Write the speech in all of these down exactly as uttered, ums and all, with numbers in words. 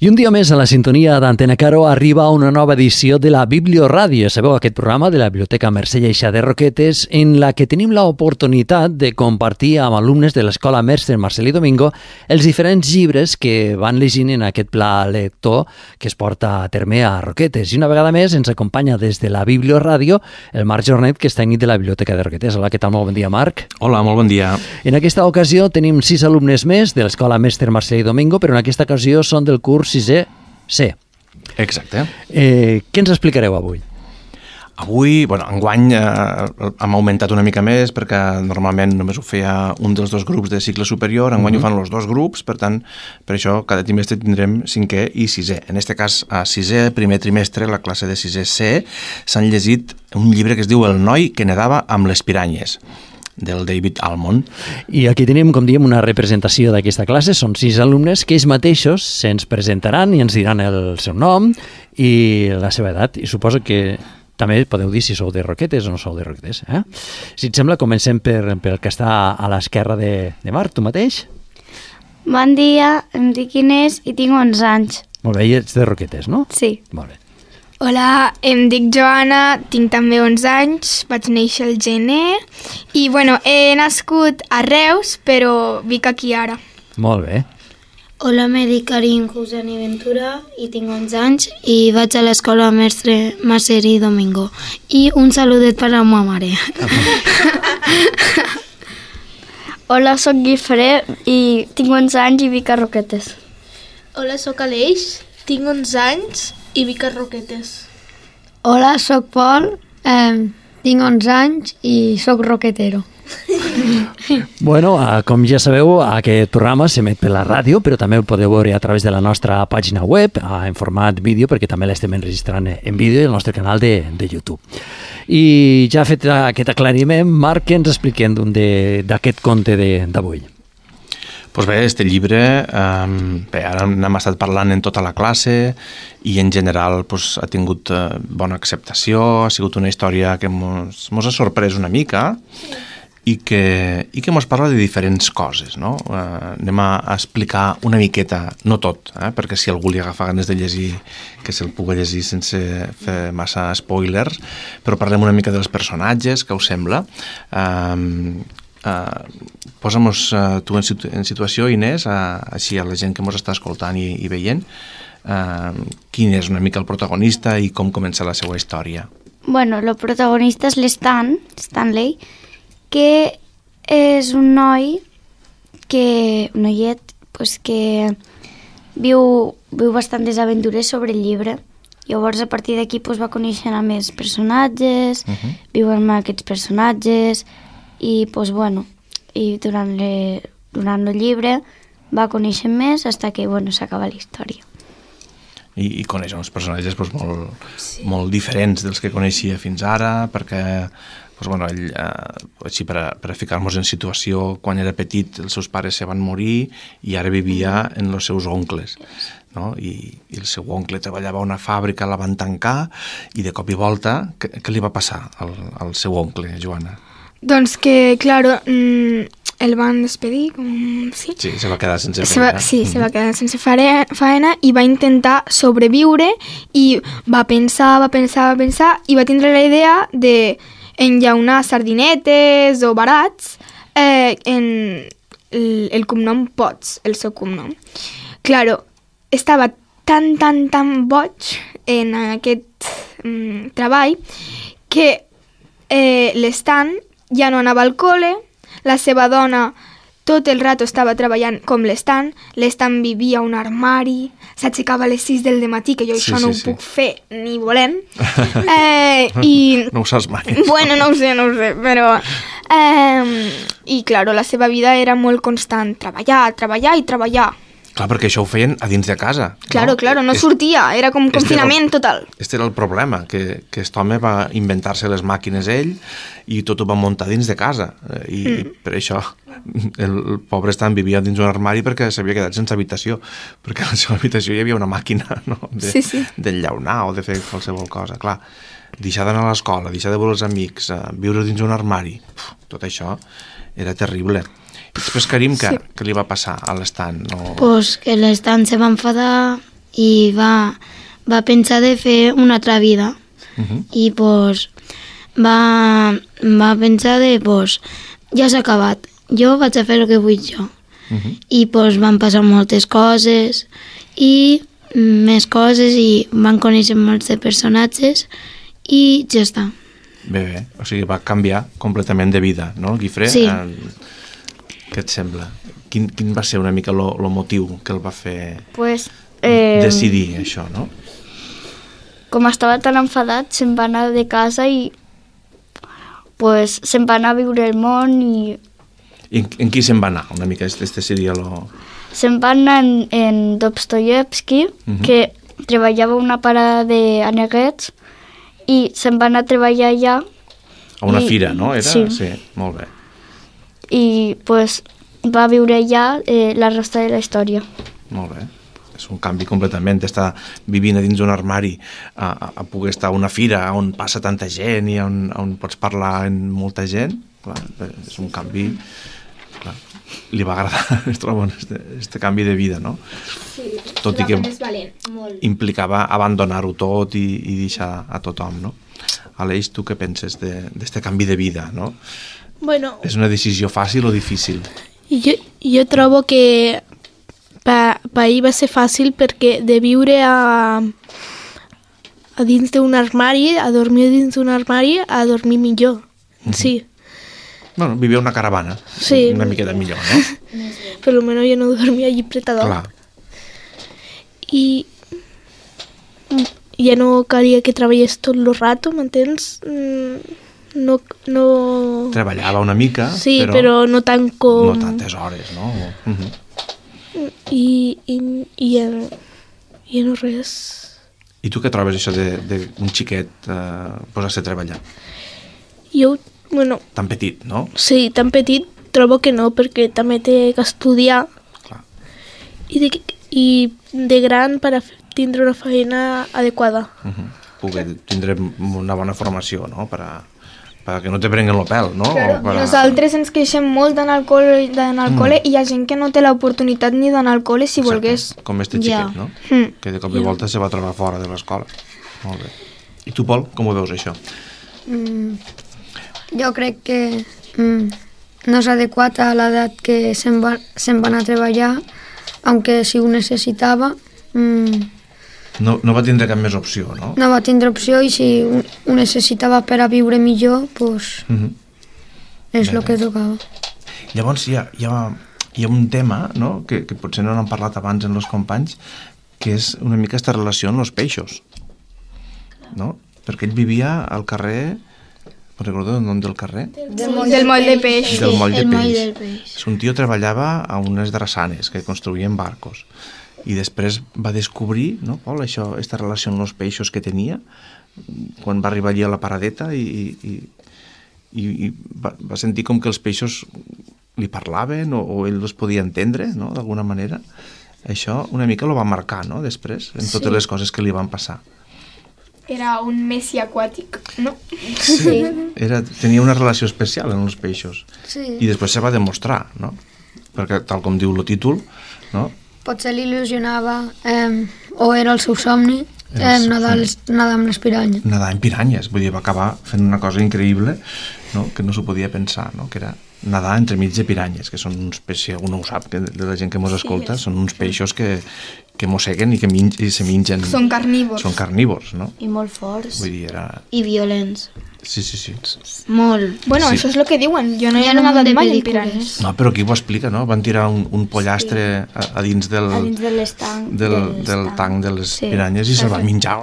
I un dia més a la sintonia d'Antena Caro arriba una nova edició de la Biblioràdio. Sabeu, aquest programa de la Biblioteca Mercè Lleixa de Roquetes, en la que tenim l'oportunitat de compartir amb alumnes de l'Escola Mestre Marcelí Domingo els diferents llibres que van llegint en aquest pla lector que es porta a terme a Roquetes. I una vegada més ens acompanya des de la Biblioràdio el Marc Jornet, que és tècnic de la Biblioteca de Roquetes. Hola, què tal? Molt bon dia, Marc. Hola, molt bon dia. En aquesta ocasió tenim sis alumnes més de l'Escola Mestre Marcelí Domingo, però en aquesta ocasió són del curs sisè C. Exacte. Eh, què ens explicareu avui? Avui, bueno, enguany eh, hem augmentat una mica més perquè normalment només ho feia un dels dos grups de cicle superior, enguany uh-huh. ho fan els dos grups, per tant, per això cada trimestre tindrem cinquè i sisè. En aquest cas, a sisè, primer trimestre, la classe de sisè C, s'han llegit un llibre que es diu El noi que nedava amb les piranyes, del David Almond. I aquí tenim, com diem, una representació d'aquesta classe. Són sis alumnes que ells mateixos se'ns presentaran i ens diran el seu nom i la seva edat. I suposo que també podeu dir si sou de Roquetes o no sou de Roquetes. Eh? Si et sembla, comencem per, per el que està a l'esquerra de, de Marc, tu mateix. Bon dia, em dic Inés i tinc onze anys. Molt bé, i ets de Roquetes, no? Sí. Molt bé. Hola, em dic Joana, tinc també onze anys, vaig néixer al gener i, bueno, he nascut a Reus, però vic aquí ara. Molt bé. Hola, me dic Karim Cousani Ventura i tinc onze anys i vaig a l'escola Mestre Marcelí Domingo. I un saludet per a la meva mare. Hola, soc Guifré i tinc onze anys i vic a Roquetes. Hola, soc Aleix, tinc onze anys i vic a Roquetes. Hola, soc Pol, eh, tinc onze anys i soc roquetero. Bueno, com ja sabeu, aquest programa s'emet per la ràdio, però també el podeu veure a través de la nostra pàgina web, en format vídeo, perquè també l'estem enregistrant en vídeo al nostre canal de, de YouTube. I ja fet aquest aclariment, Marc, què ens expliquem d'aquest conte d'avui? Doncs bé, este llibre, eh, bé, ara n'hem estat parlant en tota la classe i en general pues, ha tingut eh, bona acceptació, ha sigut una història que mos, mos ha sorprès una mica i que, i que mos parla de diferents coses, no? Eh, anem a, a explicar una miqueta, no tot, eh, perquè si algú li agafa ganes de llegir, que se'l pugui llegir sense fer massa spoilers, però parlem una mica dels personatges, què us sembla? Eh, Uh, posa'm-nos uh, tu en, situ en situació, Inés, uh, així a la gent que ens està escoltant i, i veient, uh, quin és una mica el protagonista i com comença la seva història. Bueno, el protagonista és l'Stan, Stanley, que és un noi, que, un noiet, pues, que viu, viu bastantes aventures sobre el llibre. Llavors, a partir d'aquí pues, va conèixer a més personatges, uh-huh. viu amb aquests personatges, i, pues, bueno, i durant, le, durant el llibre va conèixer més fins que, bueno, s'acaba la història. I, i coneix uns personatges pues, molt, sí. molt diferents dels que coneixia fins ara, perquè pues, bueno, ell, eh, així per a, per a ficar-nos en situació, quan era petit els seus pares se van morir i ara vivia en els seus oncles. No? I, i el seu oncle treballava a una fàbrica, la van tancar i de cop i volta, què, què li va passar al, al seu oncle, Joana? Doncs que, claro, mmm, el van despedir, com... Sí, sí se va quedar sense se feina. Va, sí, mm-hmm. se va quedar sense feina i va intentar sobreviure i va pensar, va pensar, va pensar i va tindre la idea de enllaunar sardinetes o barats eh, en el, el cognom Potts, el seu cognom. Claro, estava tan, tan, tan boig en aquest mm, treball que eh, l'Stan ja no anava al col·le, la seva dona tot el rato estava treballant com l'Stan, l'Stan vivia a un armari, s'aixecava a les sis del matí, que jo sí, això no sí, ho sí. puc fer ni volent. Eh, i, no ho saps mai. Bueno, no ho sé, no ho sé, però... Eh, I, claro, la seva vida era molt constant, treballar, treballar i treballar. Clar, perquè això ho feien a dins de casa. Claro, no? claro, no Est... sortia, era com confinament este total. Este era el problema, que, que aquest home va inventar-se les màquines ell i tot ho va muntar dins de casa. I, mm. i per això el, el pobre Stan vivia dins un armari perquè s'havia quedat sense habitació, perquè a la seva habitació hi havia una màquina, no? de, sí, sí. d'enllaunar o de fer qualsevol cosa. Clar, deixar d'anar a l'escola, deixar de veure els amics, viure dins un armari, uf, tot això era terrible. I després, Karim, què, sí. què li va passar a l'Stan? No... Pues que l'Stan se va enfadar i va, va pensar de fer una altra vida. Uh -huh. I pues, va, va pensar de pues, ja s'ha acabat, jo vaig a fer el que vull jo. Uh -huh. I pues, van passar moltes coses i més coses i van conèixer molts de personatges i ja està. Bé, bé, o sigui, va canviar completament de vida, no, Guifré? Sí. Eh, què et sembla? Quin, quin va ser una mica el motiu que el va fer Pues, eh, decidir això, no? com estava tan enfadat, se'n va anar de casa i pues, se'n va anar a viure el món i I en, en qui se'n va anar? Una mica, este, este seria lo... se'n va anar en, en Dostoyevsky, Mhm. que treballava a una parada d'aneguets i se'n va anar a treballar allà A una I- fira, no? Era? sí. Sí, molt bé. i pues, va viure allà eh, la resta de la història. Molt bé. És un canvi completament, estar vivint a dins d'un armari a, a, a poder estar a una fira on passa tanta gent i on, on pots parlar amb molta gent. Clar, és un canvi... Clar, li va agradar, es troba, este, este canvi de vida, no? Sí, Tot i que valent, molt. implicava abandonar-ho tot i, i deixar a tothom, no? Aleix, tu què penses d'este canvi de vida, no? Bueno, És una decisió fàcil o difícil? jo, jo trobo que per pa ell va ser fàcil perquè de viure a, a dins d'un armari, a dormir dins d'un armari, a dormir millor. Sí, Bueno, vivia una caravana, Sí. una miqueta millor, no? per lo menos jo no dormia allí pretador. Clar, I ja no calia que treballés tot el rato, m'entens? Mm, No, no... treballava una mica, Sí, però, però no tant com... no tantes hores, no? Uh -huh. I, i, i, ja, no, ja no res. I tu què trobes això d'un xiquet eh, posar-se a treballar? Jo, bueno, Tan petit, no? sí, tan petit trobo que no, perquè també té que estudiar Clar. i de, i de gran per a f- tindre una feina adequada. Uh -huh. Poder tindre una bona formació, no? Per a, per a que no te prenguen el pèl, no? O per a... Nosaltres ens queixem molt d'anar al col·le, d'anar al Mm. col·le i hi ha gent que no té l'oportunitat ni d'anar al col·le si Exacte, volgués. com este xiquet, Ja. no? Mm. Que de cop i volta se va trobar fora de l'escola. Molt bé. I tu, Pol, com ho veus, això? Mm, jo crec que mm, no és adequat a l'edat que se'n va, se'n va anar a treballar, aunque si ho necessitava, mm, No, no va tindre cap més opció, no? no va tindre opció i si ho, ho necessitava per a viure millor, pues, Uh -huh. és Bé, el que tocava. Llavors hi ha, hi ha, hi ha un tema, no?, que, que potser no n'han parlat abans en els companys, que és una mica aquesta relació amb els peixos, no? Perquè ell vivia al carrer... Me'n recordo el nom del carrer? Del moll, del moll de peix. Del moll de el moll peix. del peix. Un tio treballava a unes drassanes que construïen barcos i després va descobrir, no, Pol, això, aquesta relació amb els peixos que tenia quan va arribar allí a la paradeta i, i, i, i va, va sentir com que els peixos li parlaven o, o ell els podia entendre, no?, d'alguna manera. Això una mica lo va marcar, no?, després, en totes Sí. les coses que li van passar. Era un messi aquàtic, no? Sí. Era, tenia una relació especial amb els peixos. Sí. I després se va demostrar, no? Perquè, tal com diu el títol, no?, Potser l'il·lusionava, eh, o era el seu somni, Era el eh, seu nedar, les- nedar amb les piranyes. nedar en piranyes, vull dir, va acabar fent una cosa increïble, no?, que no s'ho podia pensar, no?, que era nedar entremig de piranyes, que són uns peixos, si algú no ho sap, que de la gent que mos escolta, són uns peixos que, que mosseguen i que min i se mengen. Són carnívors. Són carnívors, no? I molt forts. Vull dir, era... I violents. Sí, sí, sí. Molt. Bueno, Sí. això és el que diuen. Jo no hi Hi he ha un munt nadat de mai en pel·lícules. piranyes. No, però aquí ho explica, no? Van tirar un, un pollastre a, a dins del, A dins de l'estanc. del, del tanc de les Sí. piranyes i se'l va menjar.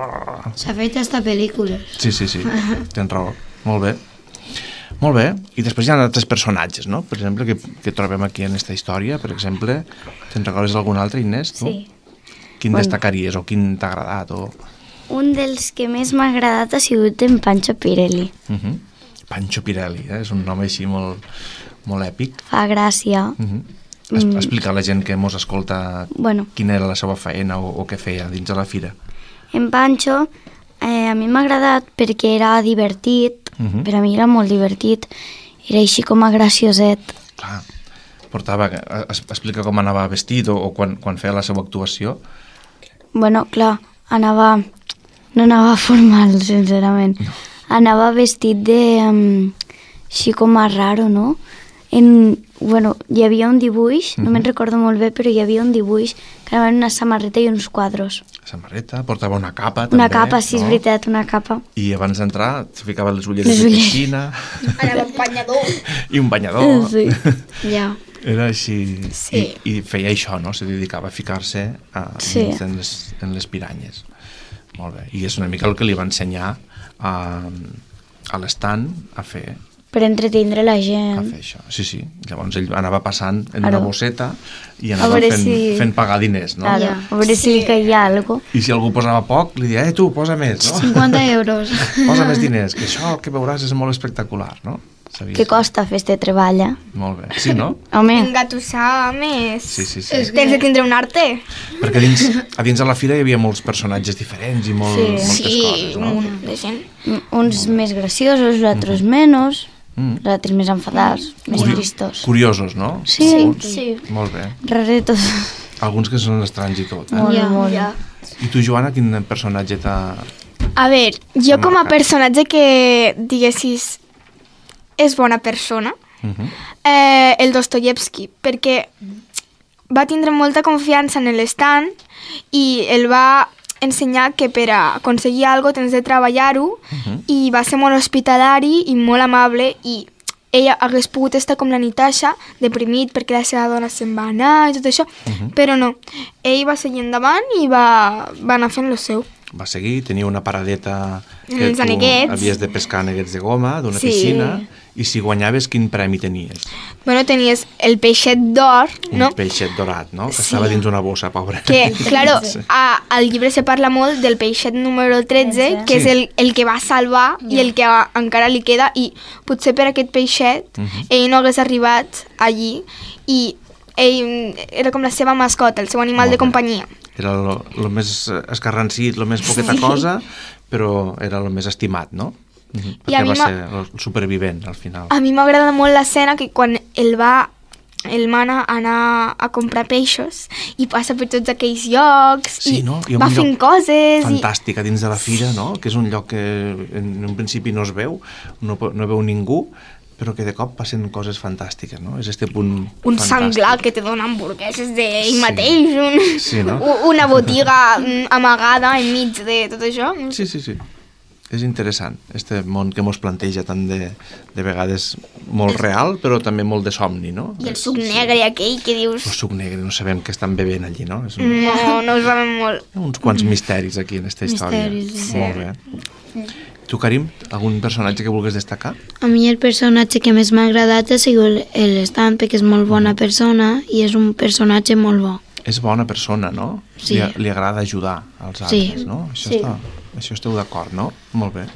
S'ha fet hasta pel·lícules. Sí, sí, sí, tens raó. Molt bé. Molt bé. I després hi ha altres personatges, no? Per exemple, que, que trobem aquí en aquesta història. Per exemple, te'n recordes d'algun altre, Inés? Tu? Sí. Quin Bueno. destacaries o quin t'ha agradat? O... Un dels que més m'ha agradat ha sigut en Pancho Pirelli. Uh -huh. Pancho Pirelli, eh? És un nom així molt, molt èpic. Fa gràcia. Uh -huh. Es, Mm. explica a la gent que mos escolta Bueno, quina era la seva feina o, o què feia dins de la fira. en Pancho eh, a mi m'ha agradat perquè era divertit, Mhm. per a mi era molt divertit, era així com a gracioset. Clar, portava, es, explica com anava vestit o, o quan, quan feia la seva actuació. bueno, clar, anava... No anava formal, sincerament. No. Anava vestit de... Um, així com a raro, no? En, bueno, hi havia un dibuix, uh-huh. no me'n recordo molt bé, però hi havia un dibuix que anava en una samarreta i uns quadros. Samarreta, portava una capa també. Una capa, sí, no? És veritat, una capa. I abans d'entrar s'hi ficava les ulleres de piscina. Anava un banyador. I un banyador. Sí, ja. Era així, sí. I, i feia això, no? Se dedicava a ficar-se a, sí. en, les, en les piranyes. Molt bé, i és una mica el que li va ensenyar a, a l'estand a fer. Per entretindre la gent. A fer això, sí, sí. Llavors ell anava passant en Ara. una bosseta i anava fent, si... fent pagar diners, no? Ara. A veure si li caia alguna cosa. I si algú posava poc, li deia, eh, tu, posa més, no? cinquanta euros. Posa més diners, que això que veuràs és molt espectacular, no? Sabies? Què costa fer este treball, eh? Molt bé, sí, no? Home. Engatussar més. Sí, sí, sí. Tens de tindre un arte. Perquè a dins, a dins de la fira hi havia molts personatges diferents i molt, sí. moltes sí, coses, no? Un de gent. Uns més graciosos, els altres mm. menys, mm. els altres més enfadats, mm. més Curi tristos. Curiosos, no? Sí, Alguns. sí. Molt bé. Raretos. Alguns que són estranys i tot, eh? Molt, ja, molt. Ja. I tu, Joana, quin personatge t'ha... A veure, jo com a personatge que, diguessis, és bona persona, uh-huh. eh, el Dostoyevsky, perquè va tindre molta confiança en l'estand i el va ensenyar que per a aconseguir alguna cosa tens de treballar-ho uh-huh. i va ser molt hospitalari i molt amable i ella hagués pogut estar com la Natasha, deprimit perquè la seva dona se'n va anar i tot això, uh-huh. però no, ell va seguir endavant i va, va anar fent lo seu. Va seguir, tenia una paradeta que Els tu aneguets. havies de pescar aneguets de goma d'una sí. piscina i si guanyaves quin premi tenies? Bueno, tenies el peixet d'or, no? Un peixet dorat, no? Que sí. estava dins una bossa, pobre. Que, claro, sí. a, al llibre se parla molt del peixet número tretze, que sí. és el, el que va salvar yeah. i el que a, encara li queda, i potser per aquest peixet uh-huh. ell no hagués arribat allí i ell era com la seva mascota, el seu animal molt de companyia. Bé. Era el més escarransit, el més poqueta sí. cosa, però era el més estimat, no? Uh-huh. Perquè va ser el supervivent, al final. A mi m'agrada molt l'escena que quan el va, el mana anar a comprar peixos i passa per tots aquells llocs sí, i no? I va fent coses. Fantàstic, i... a dins de la fira, no? Que és un lloc que en un principi no es veu, no, no veu ningú, però que de cop passen coses fantàstiques, no? És este punt un fantàstic. senglar que te dona hamburgueses d'ell sí. mateix, un, sí, no? una botiga amagada enmig de tot això. Sí, sí, sí. És interessant, este món que mos planteja tant de, de vegades molt real, però també molt de somni, no? I el suc negre aquell que dius... El suc negre, no sabem què estan bevent allí, no? És un... No, no ho sabem molt. Uns quants misteris aquí en aquesta història. Misteris, sí. Molt bé. Tu, Karim, algun personatge que vulguis destacar? A mi el personatge que més m'ha agradat ha sigut l'Stan, perquè és molt bona persona i és un personatge molt bo. És bona persona, no? Sí. Li, li agrada ajudar als altres, sí. no? Això, sí. està, això esteu d'acord, no? Molt bé.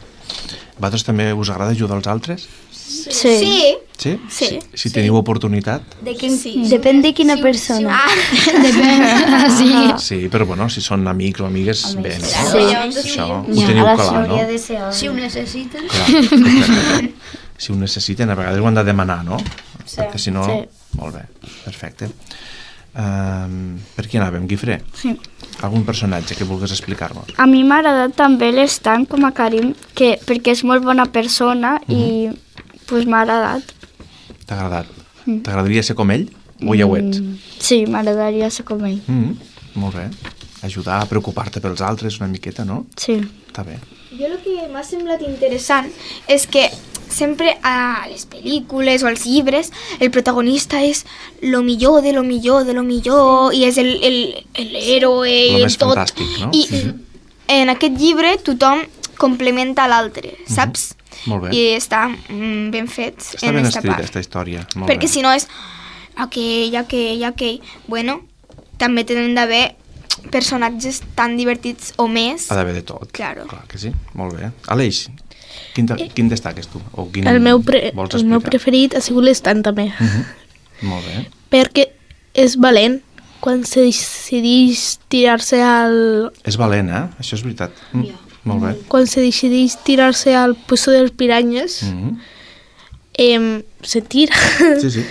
Vosaltres també us agrada ajudar als altres? Sí. Sí. Sí? Sí. Si, si teniu oportunitat? De quin, sí. Depèn de quina sí, persona. Sí. Ah. Depèn, sí. Sí, però bueno, si són amics o amigues, amics. bé, no? Sí. Això ja. ho teniu ja. clar, no? De ser si ho necessiten. Clar, si ho necessiten, a vegades ho han de demanar, no? Sí. Perquè si no... Sí. Molt bé, perfecte. Um, per qui anàvem, Guifré? Sí. Algun personatge que vulguis explicar-nos? A mi m'ha agradat també l'Stan com a Karim, que, perquè és molt bona persona uh-huh. i pues, m'ha agradat. T'ha agradat? Mm. T'agradaria ser com ell? O ja ho ets? Mm, sí, m'agradaria ser com ell. Mm, molt bé. Ajudar a preocupar-te pels altres una miqueta, no? Sí. Està bé. Jo el que m'ha semblat interessant és que sempre a les pel·lícules o als llibres el protagonista és lo millor de lo millor de lo millor sí. i és el, el, el héroe lo i més tot. Fantàstic, no? I mm-hmm. en aquest llibre tothom complementa l'altre, saps? Mm-hmm. Molt bé. I està mm, ben fet està en ben esta escrita, part. aquesta història. Molt perquè bé. si no és aquell, aquell, aquell... Bueno, també tenen d'haver personatges tan divertits o més. Ha d'haver de tot. Claro. Clar que sí. Molt bé. Aleix, quin, de, quin destaques tu? O quin El meu, pre vols el meu preferit ha sigut l'Stan també. Uh-huh. Molt bé. Perquè és valent quan se decideix tirar-se al... És valent, eh? Això és veritat. Mm. Yeah. Molt bé. Quan se decideix tirar-se al pozo de les piranyes, mm-hmm. eh, se tira. Sí, sí.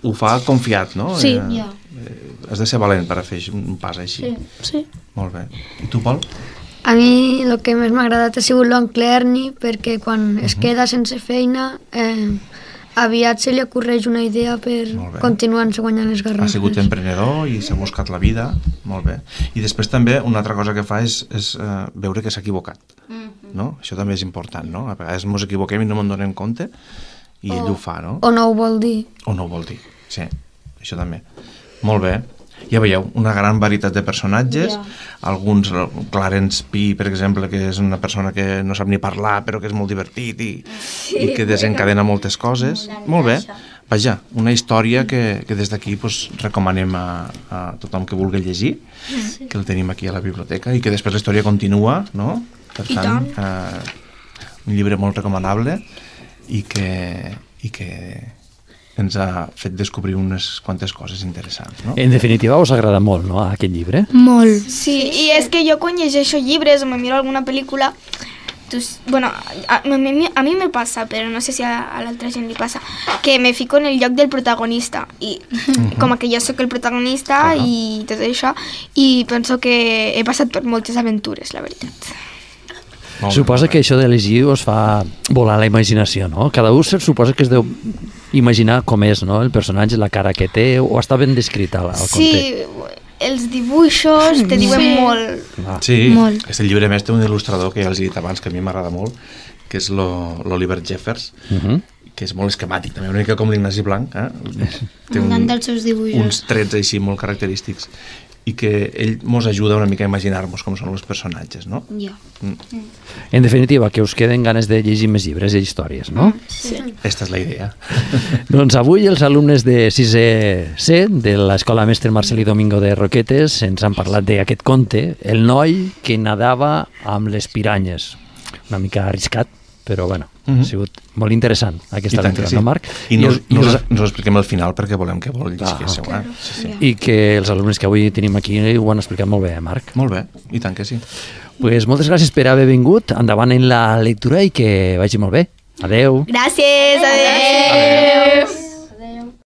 Ho fa confiat, no? Sí. Eh, Yeah. eh, has de ser valent per a fer un pas així. Sí. Sí. Molt bé. I tu, Pol? A mi el que més m'ha agradat ha sigut l'oncle Ernie, perquè quan es queda sense feina, eh, aviat se li ocorreix una idea per Molt bé. continuar-se guanyant les Ha garrofes. sigut emprenedor i s'ha buscat la vida. Molt bé. I després també una altra cosa que fa és, és eh, veure que s'ha equivocat. No? Això també és important, no? A vegades ens equivoquem i no me'n donem compte i ell ho fa, no? O no ho vol dir. O no ho vol dir, sí, això també. Molt bé. Ja veieu, una gran varietat de personatges, yeah. alguns, Clarence P, per exemple, que és una persona que no sap ni parlar, però que és molt divertit i, sí, i que desencadena moltes coses. Molt bé. Vaja, una història que, que des d'aquí pues, recomanem a, a tothom que vulgui llegir, sí. que el tenim aquí a la biblioteca, i que després la història continua, no? Per tant, eh, un llibre molt recomanable i que, i que ens ha fet descobrir unes quantes coses interessants, no? En definitiva, us agrada molt, no?, aquest llibre? Molt. Sí, i és que jo quan llegeixo llibres o me miro alguna pel·lícula, pues, bueno, a, a, mi, a mi me passa, però no sé si a, a l'altra gent li passa, que me fico en el lloc del protagonista i uh-huh. com que jo sóc el protagonista uh-huh. i tot això, i penso que he passat per moltes aventures, la veritat. Molt Suposa bé. que això de llegir us fa volar la imaginació, no? Cada un suposa que es deu imaginar com és, no?, el personatge, la cara que té, o està ben descrita al conte. Sí, els dibuixos te diuen Sí. molt. Ah. Sí, Molt. aquest llibre més té un il·lustrador que ja els he dit abans, que a mi m'agrada molt, que és l'Oliver Jeffers, Uh -huh. que és molt esquemàtic, també una mica com l'Ignasi Blanc, eh? Té M'encanten els seus dibuixos. uns trets així molt característics i que ell mos ajuda una mica a imaginar-nos com són els personatges, no? Ja. En definitiva, que us queden ganes de llegir més llibres i històries, no? Sí. Esta és la idea. Doncs avui els alumnes de sisè C de l'Escola Mestre Marcelí Domingo de Roquetes ens han parlat d'aquest conte, El noi que nadava amb les piranyes. Una mica arriscat, però bueno, uh -huh. ha sigut molt interessant aquesta aventura, sí. no, Marc? I no, els, no, i, us, els, no us expliquem al final perquè volem que vol llegiéssiu. Ah, Eh? Sí, sí. I que els alumnes que avui tenim aquí ho han explicat molt bé, eh, Marc? Molt bé, i tant que sí. Pues moltes gràcies per haver vingut, endavant en la lectura i que vagi molt bé. Adeu. Gràcies, adeu. Adeu.